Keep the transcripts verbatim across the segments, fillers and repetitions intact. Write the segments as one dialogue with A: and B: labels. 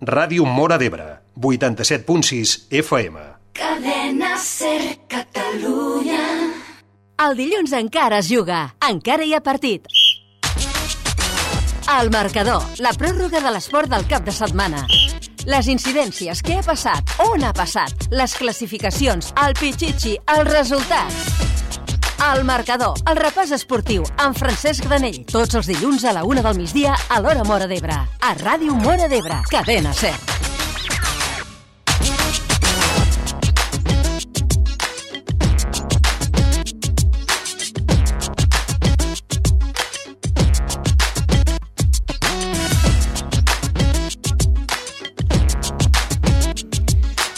A: Ràdio Móra d'Ebre, vuitanta-set punt sis F M.
B: Cadena SER Catalunya.
C: El dilluns encara es juga, encara hi ha partit. El marcador, la pròrroga de l'esport del cap de setmana. Les incidències, què ha passat, on ha passat, les classificacions, el pitxitxi, els resultats. El marcador, el repàs esportiu, amb Francesc Granell. Tots els dilluns a la una del migdia a l'Hora Móra d'Ebre. A Ràdio Móra d'Ebre, Cadena SER.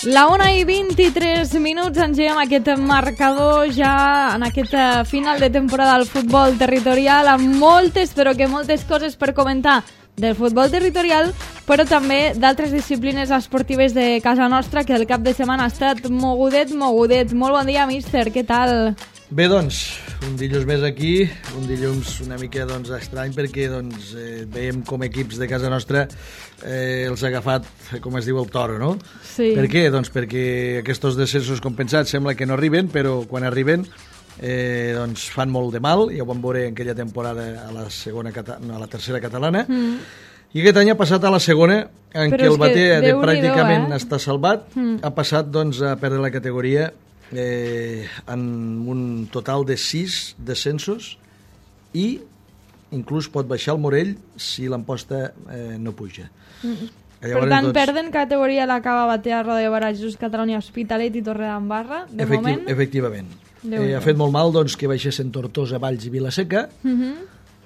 D: La una i vint-i-tres minuts, engegem aquest marcador ja en aquest final de temporada del futbol territorial, amb moltes, però que moltes coses per comentar del futbol territorial, però també d'altres disciplines esportives de casa nostra, que el cap de setmana ha estat mogudet, mogudet. Molt bon dia, míster, què tal?
E: Bé, doncs, un dilluns més aquí, un dilluns una mica doncs, estrany perquè doncs, eh, veiem com equips de casa nostra eh, els ha agafat, com es diu, el toro, no?
D: Sí.
E: Per què? Doncs perquè aquests descensos compensats sembla que no arriben, però quan arriben eh, doncs fan molt de mal. Ja ho vam veure en aquella temporada a la, segona, a la tercera catalana. Mm. I aquest any ha passat a la segona, en
D: però
E: què el Batea de pràcticament
D: eh?
E: està salvat,
D: mm.
E: ha passat doncs, a perdre la categoria Eh, en un total de sis descensos i inclús pot baixar el Morell si l'Amposta eh, no puja.
D: Mm.
E: Llavors,
D: per tant,
E: doncs,
D: perden categoria l'acaba Batea, Roda de Barà, Jesús Catalunya, Hospitalet i Torredembarra, de
E: efecti
D: moment.
E: Efectivament. Eh, ha fet molt mal doncs, que baixessin Tortosa, Valls i Vilaseca, mm -hmm.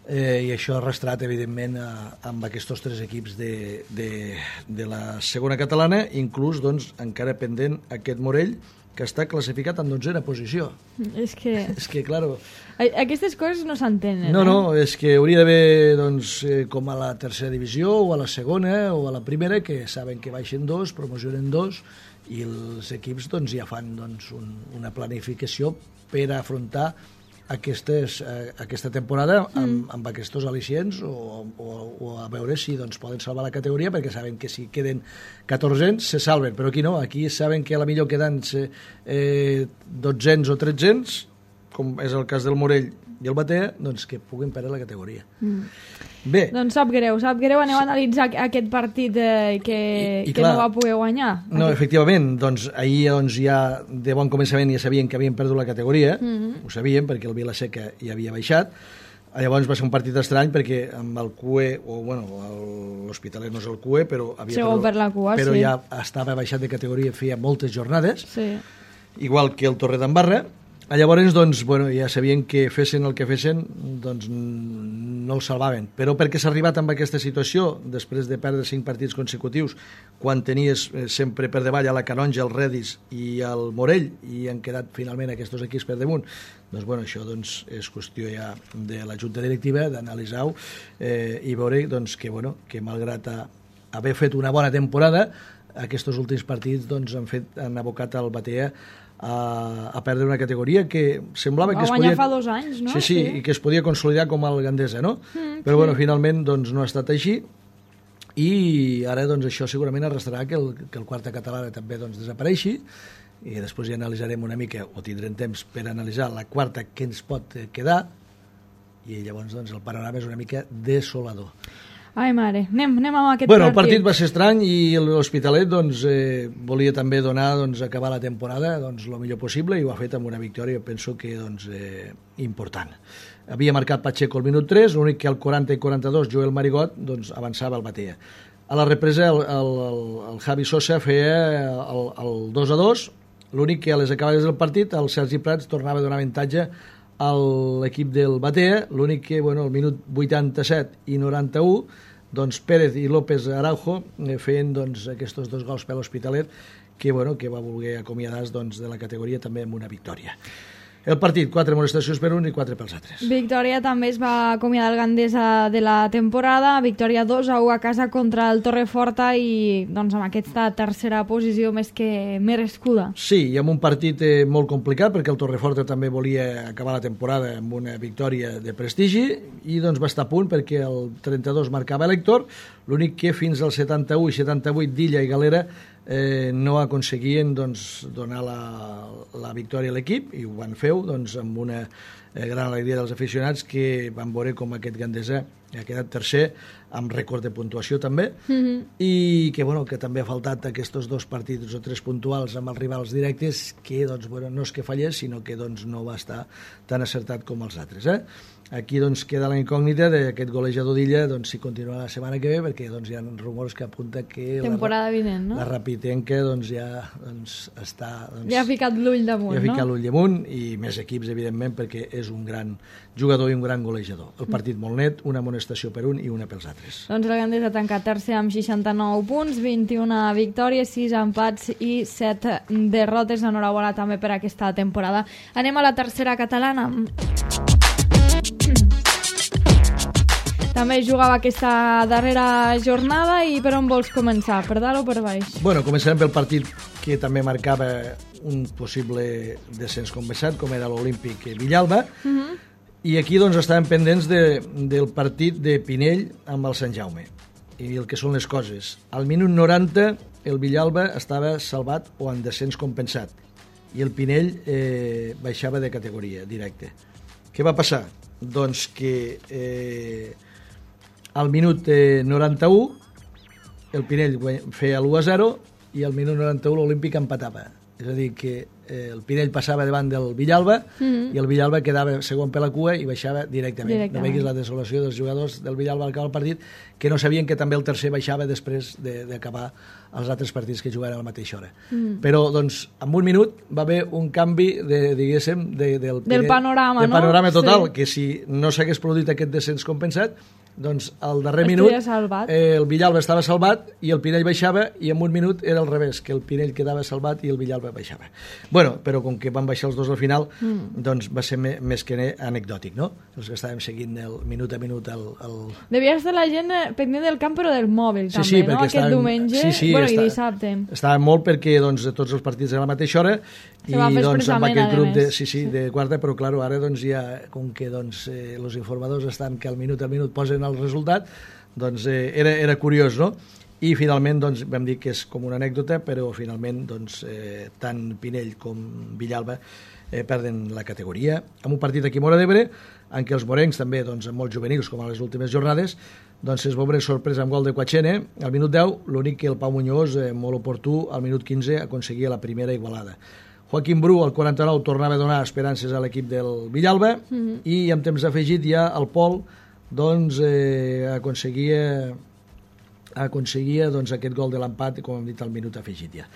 E: eh, i això ha arrastrat, evidentment, a, amb aquests tres equips de, de, de la segona catalana, inclús doncs, encara pendent aquest Morell, que està classificat en dotzena posició.
D: És que...
E: És que, claro...
D: Aquestes coses no s'entenen,
E: No,
D: eh?
E: no, és que hauria d'haver, doncs, eh, com a la tercera divisió, o a la segona, o a la primera, que saben que baixen dos, promocionen dos, i els equips, doncs, ja fan, doncs, un, una planificació per afrontar aquestes, eh, aquesta temporada amb, amb aquests al·licients o, o, o a veure si doncs, poden salvar la categoria, perquè saben que si queden catorzens se salven, però aquí no, aquí saben que a la millor queden eh, dotzens o tretzens, com és el cas del Morell i el Batea, doncs que puguin perdre la categoria. Mm. Bé.
D: Doncs sap greu, sap greu, aneu a analitzar aquest partit eh, que,
E: I, i
D: que
E: clar,
D: no va poder guanyar.
E: No,
D: aquest...
E: efectivament, doncs ahir doncs, ja de bon començament ja sabien que havien perdut la categoria, mm -hmm. ho sabien perquè el Vilaseca ja havia baixat. Llavors va ser un partit estrany perquè amb el Q E, o bueno, l'Hospitalet no és el Q E, però, havia
D: Segon per la cua,
E: però
D: sí.
E: ja estava baixat de categoria feia moltes jornades,
D: sí.
E: igual que el Torredembarra. Llavors, doncs, bueno, ja sabien que fessin el que fessin, doncs no el salvaven. Però perquè s'ha arribat amb aquesta situació, després de perdre cinc partits consecutius, quan tenies sempre per davall a la Canonja, el Redis i el Morell, i han quedat finalment aquests equips per damunt, doncs, bueno, això doncs, és qüestió ja de la Junta Directiva d'analitzar-ho eh, i veure doncs, que, bueno, que malgrat a, haver fet una bona temporada, aquests últims partits doncs, han, fet, han abocat el Batea A, a perdre una categoria que semblava
D: va
E: que es
D: guanyar
E: podia...
D: fa dos anys, no?
E: Sí, sí, sí, i que es podia consolidar com el Gandesa, no?
D: Mm,
E: Però,
D: sí.
E: bueno, finalment, doncs, no ha estat així, i ara, doncs, això segurament arrastrarà que el, que el quarta catalana també, doncs, desapareixi, i després ja analitzarem una mica, o tindrem temps per analitzar la quarta que ens pot quedar, i llavors, doncs, el panorama és una mica desolador.
D: Ai, mare, anem, anem amb aquest
E: bueno,
D: partit.
E: El partit va ser estrany i l'Hospitalet doncs, eh, volia també donar, doncs, acabar la temporada doncs, el millor possible i ho ha fet amb una victòria, penso que doncs, eh, important. Havia marcat Pacheco al minut tres, l'únic que al quaranta i quaranta-dos Joel Marigot doncs, avançava el Batea. A la represa el, el, el, el Javi Sosa feia el, el dos a dos, l'únic que a les acabades del partit el Sergi Prats tornava a donar avantatge a l'equip del Batea, l'únic que bueno, al minut vuitanta-set i noranta-u doncs Pérez i López Araujo eh, feien doncs, aquests dos gols per l'Hospitalet que, bueno, que va voler acomiadar doncs, de la categoria també amb una victòria. El partit, quatre molestacions per un i quatre pels altres.
D: Victòria també es va acomiadar el Gandesa de la temporada, victòria dos a u a casa contra el Torreforta i doncs amb aquesta tercera posició més que merescuda.
E: Sí, i amb un partit eh, molt complicat perquè el Torreforta també volia acabar la temporada amb una victòria de prestigi i doncs va estar a punt perquè el trenta-dos marcava l'Hèctor, l'únic que fins al setanta-u i setanta-vuit d'Illa i Galera eh, no aconseguien doncs, donar la, la victòria a l'equip i ho van fer doncs, amb una eh, gran alegria dels aficionats que van veure com aquest Gandesa ha quedat tercer amb rècord de puntuació també
D: Mm-hmm.
E: i que, bueno, que també ha faltat aquests dos partits o tres puntuals amb els rivals directes que doncs, bueno, no és que fallés sinó que doncs, no va estar tan acertat com els altres. Eh? Aquí doncs, queda la incògnita d'aquest golejador d'Illa doncs, si continua la setmana que ve perquè doncs, hi ha rumors que apunta que
D: temporada
E: la,
D: vinent, no?
E: la Rapitenca doncs, ja doncs, està... Doncs,
D: Ja ha ficat l'ull damunt,
E: ja ha ficat
D: no?
E: l'ull damunt i més equips, evidentment, perquè és un gran jugador i un gran golejador. El partit molt net, una amonestació per un i una pels altres.
D: Doncs el Gandesa ha tancat tercer amb seixanta-nou punts, vint-i-una victòries, sis empats i set derrotes. Enhorabona també per aquesta temporada. Anem a la tercera catalana. També jugava aquesta darrera jornada i per on vols començar? Per dalt o per baix?
E: Bueno, començarem pel partit que també marcava un possible descens compensat, com era l'Olímpic Villalba,
D: Uh-huh.
E: i aquí doncs estàvem pendents de, del partit de Pinell amb el Sant Jaume i el que són les coses. Al minut noranta el Villalba estava salvat o en descens compensat i el Pinell eh, baixava de categoria directe. Què va passar? Doncs que eh, al minut eh, noranta-u el Pinell feia l'u a zero i al minut noranta-u l'Olímpic empatava. És a dir, que eh, el Pinell passava davant del Villalba
D: Mm.
E: i el Villalba quedava segon per la cua i baixava directament.
D: Directament.
E: No veguis la desolació dels jugadors del Villalba al acabar el partit, que no sabien que també el tercer baixava després de- d'acabar els altres partits que jugaven a la mateixa hora.
D: Mm.
E: Però, doncs, en un minut va haver un canvi, de, diguéssim, de, del,
D: Del panorama,
E: del
D: no?
E: panorama total,
D: Sí.
E: que si no s'hagués produït aquest descens compensat, doncs al darrer
D: Estaria
E: minut
D: salvat.
E: eh, el Villalba estava salvat i el Pinell baixava i en un minut era al revés, que el Pinell quedava salvat i el Villalba baixava. Bueno, però com que van baixar els dos al final, mm. doncs va ser me, més que anecdòtic, no? Els que estàvem seguint el minut a minut el... el...
D: Devia estar la gent eh, pendent del camp però del mòbil
E: Sí,
D: també,
E: sí,
D: no?
E: perquè
D: Aquest
E: estàvem-
D: diumenge
E: sí, sí,
D: bueno,
E: està-
D: i dissabte.
E: Estava molt perquè doncs, tots els partits a la mateixa hora
D: Se va fer
E: i doncs, amb
D: expressament,
E: aquest
D: a
E: grup de,
D: més.
E: sí, sí, de quarta, però clar, ara doncs, ja, com que doncs, eh, els informadors estan que al minut a minut posen el resultat, doncs eh, era, era curiós, no? I finalment doncs, vam dir que és com una anècdota, però finalment doncs, eh, tant Pinell com Villalba eh, perden la categoria. En un partit aquí a Móra d'Ebre, en què els morencs també, doncs, molt juvenils, com a les últimes jornades, doncs es veure sorpresa amb gol de Quachene. Al minut deu, l'únic que el Pau Muñoz, eh, molt oportú, al minut quinze aconseguia la primera igualada. Joaquim Bru, al quaranta-nou, tornava a donar esperances a l'equip del Villalba mm-hmm. i amb temps afegit ja el Pol doncs, eh, aconseguia aconseguia doncs, aquest gol de l'empat, com hem dit, al minut afegit ja.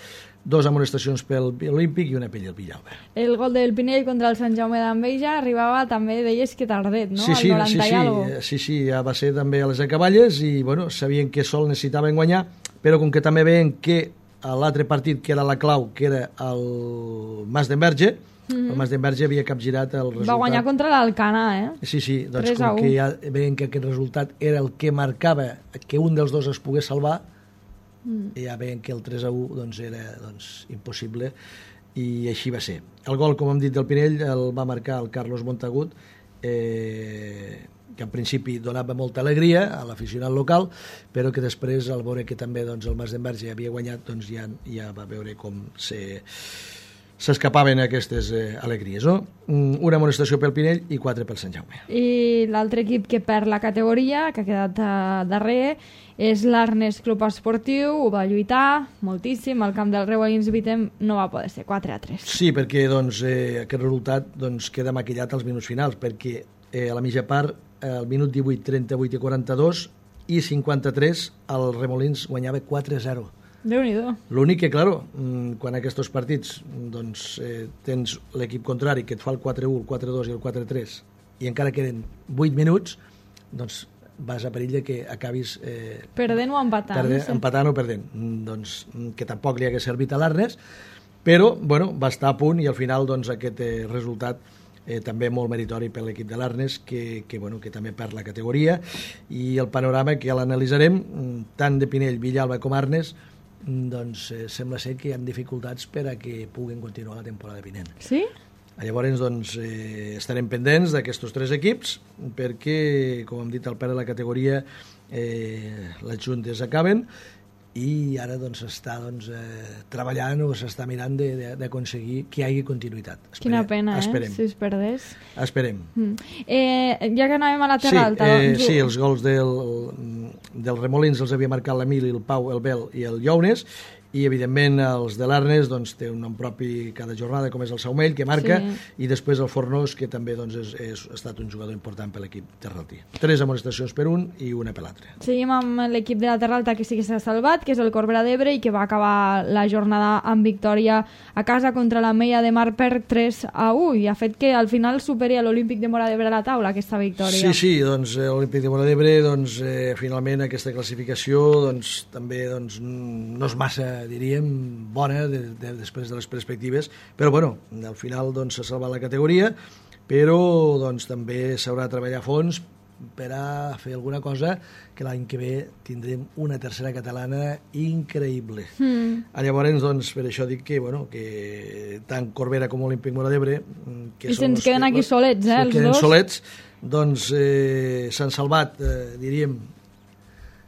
E: Dos amonestacions pel Olímpic i una pel Villalba.
D: El gol del Pinell contra el Sant Jaume d'Enveja arribava també, deies que tardet, no?
E: Sí, sí,
D: Al
E: sí,
D: noranta i algo.
E: sí, sí, sí, ja va ser també a les acaballes i bueno, sabien que sol necessitaven guanyar, però com que també veien que a l'altre partit, que era la clau, que era el Mas d'Enverge, mm-hmm. el Mas d'Enverge havia capgirat el resultat.
D: Va guanyar contra l'Alcanar, eh?
E: Sí, sí, doncs
D: tres a
E: com
D: u.
E: que ja veien que aquest resultat era el que marcava que un dels dos es pogués salvar, mm. ja veien que el tres a u doncs, era doncs, impossible i així va ser. El gol, com hem dit, del Pinell el va marcar el Carlos Montagut, eh, que en principi donava molta alegria a l'aficionat local, però que després, al veure que també doncs, el Mas d'Enverge havia guanyat, doncs ja, ja va veure com se... s'escapaven aquestes eh, alegries, no? Una amonestació pel Pinell i quatre pel Sant Jaume.
D: I l'altre equip que perd la categoria, que ha quedat uh, darrer, és l'Arnes Club Esportiu, ho va lluitar moltíssim, el camp del Reuelins Vitem no va poder ser, quatre a tres.
E: Sí, perquè doncs, eh, aquest resultat doncs, queda maquillat als minuts finals, perquè eh, a la mitja part, eh, al minut divuit, trenta-vuit i quaranta-dos i cinquanta-tres, el Remolins guanyava quatre a zero.
D: Déu-n'hi-do.
E: L'únic que, claro, quan aquests partits doncs, eh, tens l'equip contrari que et fa el quatre a u, el quatre a dos i el quatre a tres i encara queden vuit minuts, doncs vas a perill de que acabis... Eh,
D: Perdent o empatant.
E: perdent,
D: sí.
E: empatant o perdent. Doncs que tampoc li hagués servit a l'Arnes però bueno, va estar a punt i al final doncs, aquest eh, resultat eh, també molt meritori per l'equip de l'Arnes que, que, bueno, que també perd la categoria, i el panorama que ja l'analitzarem, tant de Pinell, Villalba com Arnes, doncs eh, sembla ser que hi ha dificultats per a que puguen continuar la temporada vinent.
D: Sí?
E: Llavors doncs, eh, estarem pendents d'aquests tres equips perquè, com hem dit, al perdre la categoria eh, les juntes acaben i ara doncs, s'està doncs, eh, treballant o s'està mirant d'aconseguir que hi hagi continuïtat.
D: Esperem, Quina pena,
E: esperem.
D: eh? Si es perdés.
E: Esperem.
D: Mm. Eh, ja que anàvem a la Terra
E: sí,
D: Alta...
E: Eh,
D: doncs...
E: Sí, els gols del, del Remolins els havia marcat l'Emili, el Pau, el Bel i el Llaunes, i evidentment els de l'Arnes doncs, té un nom propi cada jornada com és el Saumell que marca, sí. I després el Fornós que també doncs, és, és, ha estat un jugador important per l'equip terraltí. Tres amonestacions per un i una per l'altre.
D: Seguim amb l'equip de la Terra Alta que sí que s'ha salvat, que és el Corbera d'Ebre i que va acabar la jornada amb victòria a casa contra la Meia de Mar per tres a u i ha fet que al final superi l'Olímpic de Móra d'Ebre a la taula aquesta victòria.
E: Sí, sí, doncs l'Olímpic de Móra d'Ebre doncs, eh, finalment aquesta classificació doncs, també doncs, no és massa diríem, bona de, de, després de les perspectives, però bueno, al final doncs, s'ha salvat la categoria, però doncs, també s'haurà de treballar a fons per a fer alguna cosa que l'any que ve tindrem una tercera catalana increïble. Mm. Llavors, doncs, per això dic que, bueno, que tant Corbera com Olímpic Móra d'Ebre que
D: i se'ns queden que, aquí solets, eh, els
E: queden
D: dos.
E: solets, doncs eh, s'han salvat, eh, diríem,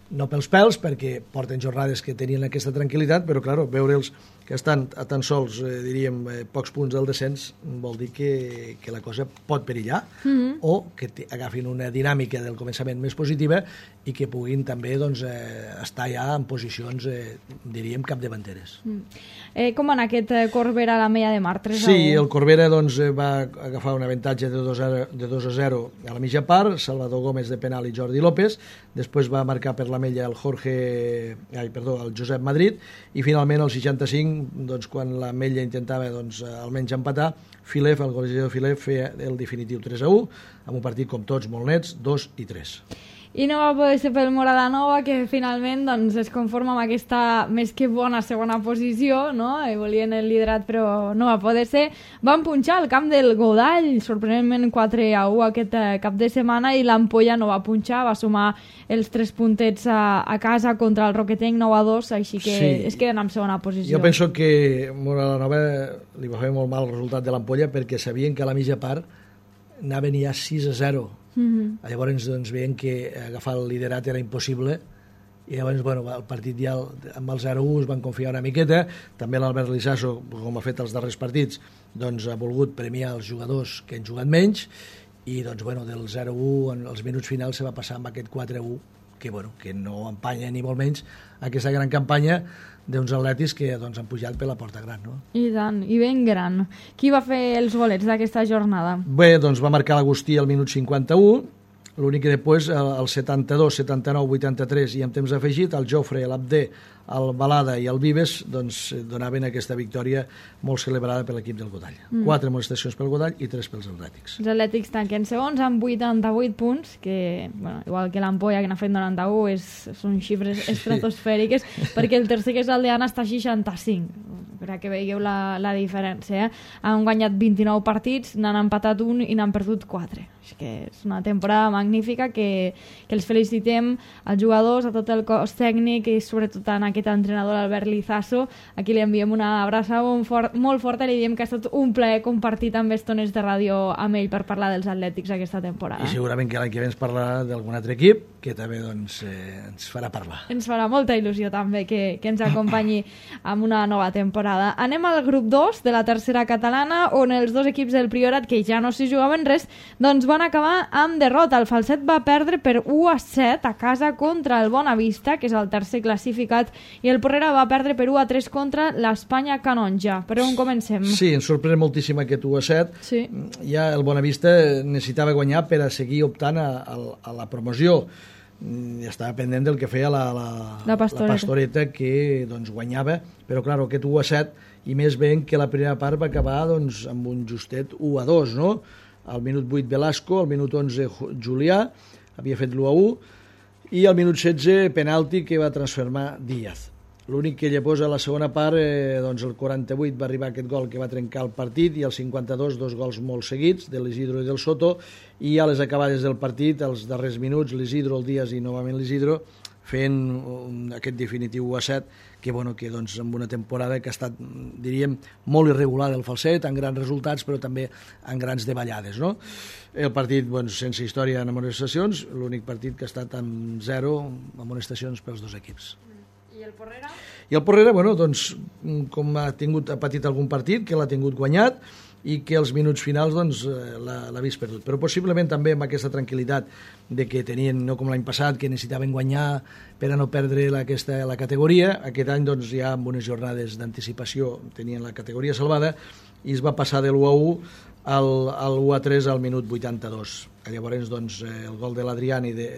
E: no pels pèls, perquè porten jornades que tenien aquesta tranquil·litat, però, clar, veure'ls que estan a tan sols, eh, diríem, eh, pocs punts del descens, vol dir que, que la cosa pot perillar, mm-hmm. o que agafin una dinàmica del començament més positiva i que puguin també doncs, eh, estar ja en posicions, eh, diríem, capdavanteres. Mm.
D: Eh, com en aquest Corbera a la Meia de Mar? tres a u?
E: Sí, el Corbera doncs, va agafar un avantatge de dos a zero a la mitja part, Salvador Gómez de penal i Jordi López, després va marcar per la Mella el Jorge, ai, perdó, el Josep Madrid, i finalment al seixanta-cinc, doncs, quan la Mella intentava doncs, almenys empatar, Filef, el golejador Filef, feia el definitiu tres a u, amb un partit com tots molt nets, dos i tres.
D: I no va poder ser pel Moradanova, que finalment doncs, es conforma amb aquesta més que bona segona posició, no? I volien el liderat però no va poder ser. Van punxar al camp del Godall, sorprenentment quatre a u aquest cap de setmana, i l'Ampolla no va punxar, va sumar els tres puntets a, a casa contra el Roquetenc nou a dos, així que sí. Es queden en segona posició.
E: Jo penso que Moradanova li va fer molt mal el resultat de l'Ampolla perquè sabien que a la mitja part anaven ja sis a zero. Mm-hmm. Llavors doncs, veien que agafar el liderat era impossible i llavors bueno, el partit ja amb el zero a u es van confiar una miqueta. També l'Albert Lizasso, com ha fet els darrers partits, doncs, ha volgut premiar els jugadors que han jugat menys i doncs, bueno, del zero a u en els minuts finals se va passar amb aquest quatre a u que, bueno, que no empanya ni molt menys aquesta gran campanya d'uns atletis que doncs, han pujat per la porta gran, no?
D: I tant, i ben gran. Qui va fer els golets d'aquesta jornada?
E: Bé, doncs va marcar l'Agustí al minut cinquanta-u, l'únic que després, al setanta-dos, setanta-nou, vuitanta-tres i amb temps afegit, el Jofre, l'Abdé, el Balada i el Vives doncs, donaven aquesta victòria molt celebrada per l'equip del Godall. Mm. Quatre amonestacions pel Godall i tres pels Atlètics.
D: Els Atlètics tanquen segons amb vuitanta-vuit punts, que, bueno, igual que l'Ampolla, que n'ha fet noranta-u, és, són xifres estratosfèriques, sí. Perquè el tercer, que és el d'Anna, està a seixanta-cinc, per a que veieu la, la diferència. Eh? Han guanyat vint-i-nou partits, n'han empatat un i n'han perdut quatre. Així que és una temporada magnífica que, que els felicitem als jugadors, a tot el cos tècnic i sobretot a aquest entrenador, Albert Lizasso. Aquí li enviem una abraçada molt, fort, molt forta i li diem que ha estat un plaer compartir també estones de ràdio amb ell per parlar dels Atlètics aquesta temporada.
E: I segurament que l'any que ve ens parlarà d'algun altre equip que també doncs, eh, ens farà parlar.
D: Ens farà molta il·lusió també que, que ens acompanyi amb una nova temporada. Anem al grup dos de la tercera catalana, on els dos equips del Priorat, que ja no s'hi jugaven res, doncs van acabar amb derrota. El Falset va perdre per u a set a casa contra el Bonavista, que és el tercer classificat, i el Porrera va perdre per u a tres contra l'Espanya Canonja. Per on comencem?
E: Sí, ens sorprèn moltíssim aquest u a set.
D: Sí.
E: Ja el Bonavista necessitava guanyar per a seguir optant a, a, a la promoció. Ja estava pendent del que feia la, la,
D: la, pastoreta.
E: la Pastoreta, que doncs, guanyava, però clar, aquest u a set, i més ben que la primera part va acabar doncs, amb un justet u a dos, no? Al minut vuit Velasco, al minut onze Julià, havia fet l'u a u, i al minut setze penalti que va transformar Díaz. L'únic que llavors a la segona part, eh, doncs el quaranta-vuit va arribar aquest gol que va trencar el partit i el cinquanta-dos dos gols molt seguits de l'Isidro i del Soto, i a les acabades del partit, als darrers minuts, l'Isidro, el Díaz i novament l'Isidro fent un, aquest definitiu u a set que, bueno, que doncs, amb una temporada que ha estat, diríem, molt irregular el Falset, amb grans resultats però també amb grans davallades, no? El partit, doncs, sense història en amonestacions, l'únic partit que ha estat amb zero amonestacions pels dos equips.
D: I el Porrera?
E: I el Porrera, bueno, doncs, com ha, tingut, ha patit algun partit, que l'ha tingut guanyat, i que els minuts finals doncs, l'ha vist perdut. Però possiblement també amb aquesta tranquil·litat de que tenien, no com l'any passat, que necessitaven guanyar per a no perdre la, aquesta, la categoria, aquest any doncs, ja amb unes jornades d'anticipació tenien la categoria salvada i es va passar de l'u a u al, al u a tres al minut vuitanta-dos. Llavors, doncs, el gol de l'Adrián i de,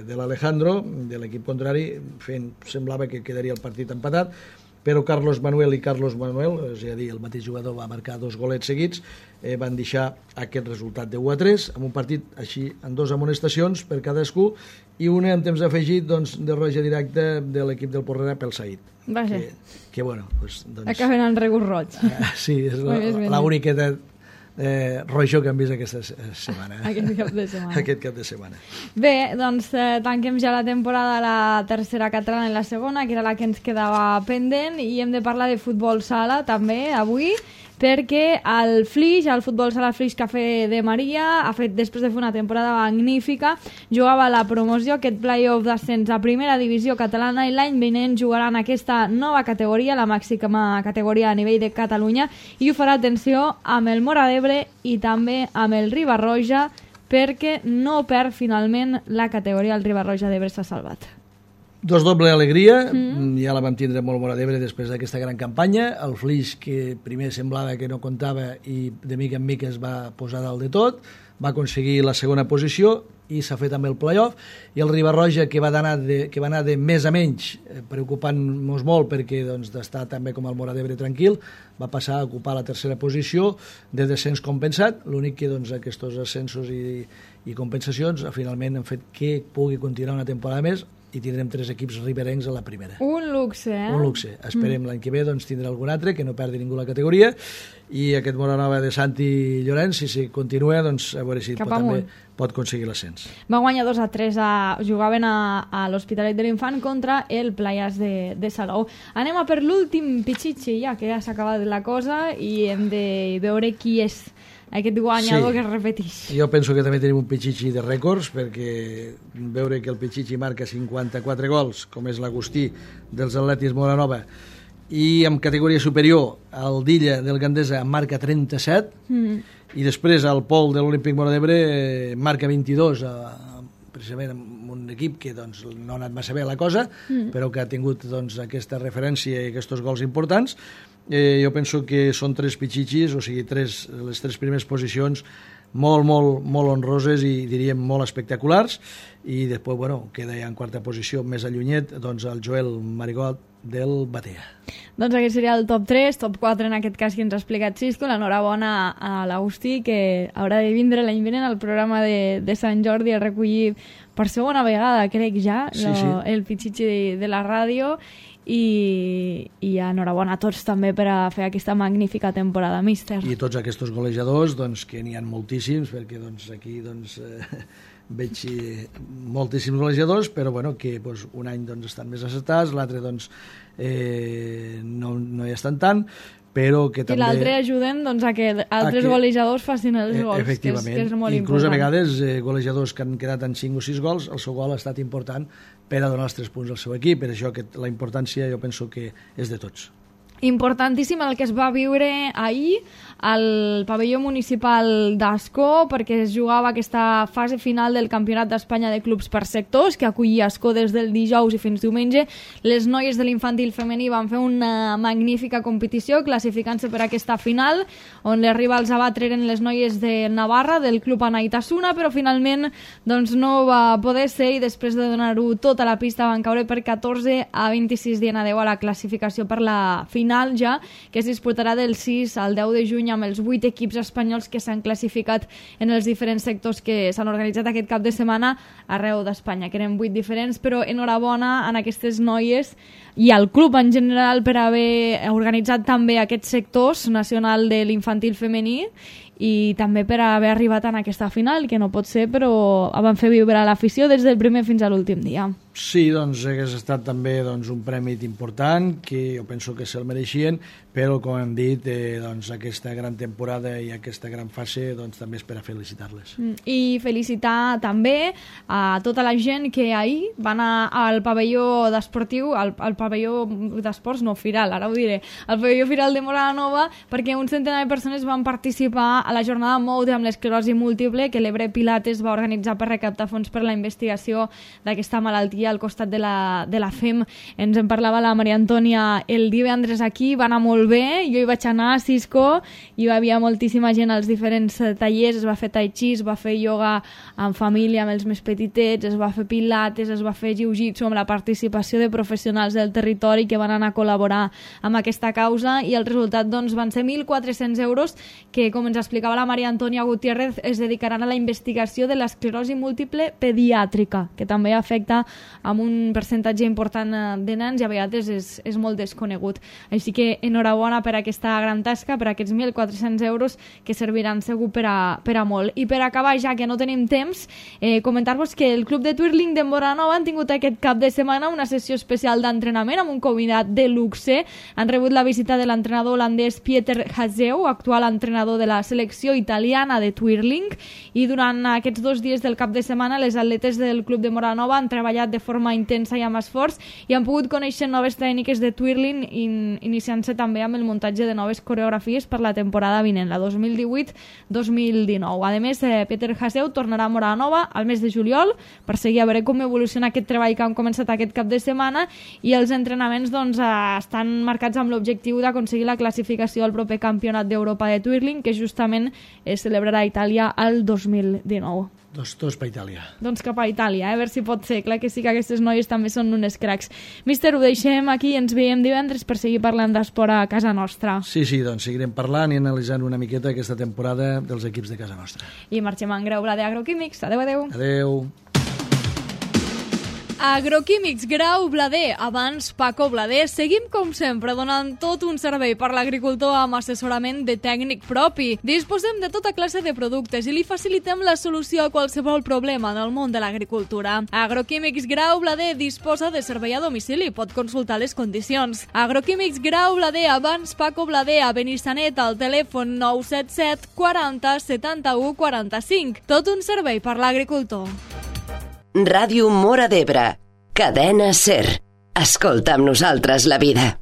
E: de l'Alejandro, de l'equip contrari, fent, semblava que quedaria el partit empatat, però Carlos Manuel i Carlos Manuel, és a dir, el mateix jugador va marcar dos golets seguits, eh, van deixar aquest resultat de u a tres, amb un partit així, amb dos amonestacions per cadascú, i una en temps afegit doncs, de roja directa de l'equip del Porrera pel Said.
D: Vaja.
E: Que, que bueno, doncs, doncs,
D: acaben en regust roig.
E: Uh, sí, és l'única de eh, rojo que hem vist aquesta setmana.
D: Aquest cap de setmana.
E: Aquest cap de setmana.
D: Bé, doncs eh, tanquem ja la temporada a la tercera catalana i la segona, que era la que ens quedava pendent, i hem de parlar de futbol sala també avui, perquè el Flix, el futbol sala Flix Cafè de Maria, ha fet, després de fer una temporada magnífica, jugava a la promoció, aquest play-off d'ascens a primera divisió catalana, i l'any vinent jugaran aquesta nova categoria, la màxima categoria a nivell de Catalunya, i ho farà, atenció, amb el Móra d'Ebre i també amb el Riba-roja, perquè no perd finalment la categoria, el Riba-roja d'Ebre s'ha salvat.
E: Dos doble alegria, mm. ja la vam tindre molt Móra d'Ebre després d'aquesta gran campanya, el Flix que primer semblava que no comptava i de mica en mica es va posar dalt de tot, va aconseguir la segona posició i s'ha fet amb el play-off, i el Riba-roja que va anar de, que va anar de més a menys, eh, preocupant-nos molt perquè doncs, d'estar també com el Móra d'Ebre tranquil, va passar a ocupar la tercera posició de descens compensat, l'únic que doncs, aquests ascensos i, i compensacions finalment han fet que pugui continuar una temporada més i tindrem tres equips riberencs a la primera.
D: Un luxe, eh?
E: Un luxe. Esperem mm. l'any que ve doncs, tindrà algun altre, que no perdi ningú la categoria, i aquest Moranova de Santi Llorenç, si, si continua, doncs a veure si pot, també pot aconseguir l'ascens.
D: Va guanyar dos a tres, a, jugaven a, a l'Hospitalet de l'Infant contra el Playas de, de Salou. Anem a per l'últim pitxitxi, ja que ja s'ha acabat la cosa, i hem de veure qui és aquest guanyador, sí, que es repeteix.
E: Jo penso que també tenim un pitxitxi de rècords, perquè veure que el pitxitxi marca cinquanta-quatre gols, com és l'Agustí dels Atletis Moranova, i en categoria superior el Dilla del Gandesa marca trenta-set, mm. i després el Pol de l'Olímpic Móra d'Ebre marca vint-i-dos, a, precisament amb un equip que doncs, no ha anat massa bé la cosa, mm. però que ha tingut doncs, aquesta referència i aquests gols importants. Eh, jo penso que són tres pitxitxis, o sigui, tres, les tres primeres posicions molt, molt, molt honroses i diríem molt espectaculars, i després, bueno, queda ja en quarta posició més allunyet, doncs el Joel Marigot del Batea.
D: Doncs aquest seria el top tres, top quatre en aquest cas que ens ha explicat Xisco. L'enhorabona a l'Agustí, que haurà de vindre l'any vinent al programa de, de Sant Jordi a recollir per segona vegada, crec ja,
E: sí,
D: lo,
E: sí.
D: el pitxitxi de, de la ràdio. I, i enhorabona a tots també per a fer aquesta magnífica temporada, míster.
E: I tots aquests golejadors, doncs, que n'hi ha moltíssims, perquè doncs, aquí doncs, eh, veig eh, moltíssims golejadors, però bueno, que doncs, un any doncs, estan més acertats, l'altre doncs, eh, no, no hi estan tant, però que també...
D: I l'altre ajuden doncs, a que altres a que, golejadors facin els gols,
E: efectivament,
D: que és, que és molt
E: inclús
D: important.
E: A vegades eh, golejadors que han quedat en cinc o sis gols, el seu gol ha estat important per a donar els tres punts al seu equip, per això que la importància jo penso que és de tots.
D: Importantíssim el que es va viure ahir al pavelló municipal d'Ascó, perquè es jugava aquesta fase final del Campionat d'Espanya de Clubs per Sectors, que acollia Ascó des del dijous i fins diumenge. Les noies de l'infantil femení van fer una magnífica competició, classificant-se per aquesta final, on les rivals a batre eren les noies de Navarra, del Club Anaitasuna, però finalment doncs, no va poder ser, i després de donar-ho tota la pista van caure per catorze a vint-i-sis dient adeu a la classificació per la final final ja, que es disputarà del sis al deu de juny amb els vuit equips espanyols que s'han classificat en els diferents sectors que s'han organitzat aquest cap de setmana arreu d'Espanya, que eren vuit diferents, però enhorabona a aquestes noies i al club en general per haver organitzat també aquests sectors nacional de l'infantil femení i també per haver arribat en aquesta final, que no pot ser, però van fer vibrar l'afició des del primer fins a l'últim dia.
E: Sí, doncs hagués estat també doncs, un premi important, que jo penso que se'l mereixien, però com hem dit, eh, doncs, aquesta gran temporada i aquesta gran fase doncs, també és per a felicitar-les.
D: I felicitar també a tota la gent que ahir va anar al pavelló d'esportiu, al, al pavelló d'esports, no, Firal, ara ho diré, al pavelló Firal de Móra la Nova, perquè un centenar de persones van participar a la jornada Moude amb l'esclerosi múltiple que l'Ebre Pilates va organitzar per recaptar fons per la investigació d'aquesta malaltia al costat de la, de la F E M. Ens en parlava la Maria Antònia el divendres aquí, va anar molt bé, jo hi vaig anar a Cisco, hi havia moltíssima gent als diferents tallers, es va fer tai chi, es va fer ioga en família amb els més petitets, es va fer pilates, es va fer jiu-jitsu amb la participació de professionals del territori que van anar a col·laborar amb aquesta causa i el resultat doncs, van ser mil quatre-cents euros que, com ens explicava la Maria Antònia Gutiérrez, es dedicaran a la investigació de l'esclerosi múltiple pediàtrica, que també afecta amb un percentatge important de nens i a vegades és, és molt desconegut. Així que enhorabona per aquesta gran tasca, per aquests mil quatre-cents euros que serviran segur per a, per a molt. I per acabar, ja que no tenim temps, eh, comentar-vos que el Club de Twirling de Móra-la-Nova han tingut aquest cap de setmana una sessió especial d'entrenament amb un convidat de luxe. Han rebut la visita de l'entrenador holandès Pieter Hazeu, actual entrenador de la selecció italiana de Twirling, i durant aquests dos dies del cap de setmana les atletes del Club de Móra-la-Nova han treballat de forma intensa i amb esforç i han pogut conèixer noves tècniques de twirling in, iniciant-se també amb el muntatge de noves coreografies per la temporada vinent, la dos mil divuit dos mil dinou. A més, eh, Pieter Hazeu tornarà a Móra-la-Nova al mes de juliol per seguir a veure com evoluciona aquest treball que han començat aquest cap de setmana i els entrenaments doncs, eh, estan marcats amb l'objectiu d'aconseguir la classificació al proper campionat d'Europa de twirling que justament es celebrarà a Itàlia el dos mil dinou.
E: Dos, dos per Itàlia.
D: Doncs cap a Itàlia, eh? A veure si pot ser. Clar que sí que aquestes noies també són unes cracs. Míster, ho deixem aquí i ens veiem divendres per seguir parlant d'esport a casa nostra.
E: Sí, sí, doncs seguirem parlant i analitzant una miqueta aquesta temporada dels equips de casa nostra.
D: I marxem en Grau Blader Agroquímics. Adéu, adéu.
E: Adéu.
D: Agroquímics Grau Blader, abans Paco Blader. Seguim, com sempre, donant tot un servei per l'agricultor amb assessorament de tècnic propi. Disposem de tota classe de productes i li facilitem la solució a qualsevol problema en el món de l'agricultura. Agroquímics Grau Blader disposa de servei a domicili. Pot consultar les condicions. Agroquímics Grau Blader, abans Paco Blader, a Benissanet, al telèfon nou set set quaranta setanta-u quaranta-cinc. Tot un servei per l'agricultor.
F: Ràdio Móra d'Ebre, cadena SER. Escolta amb nosaltres la vida.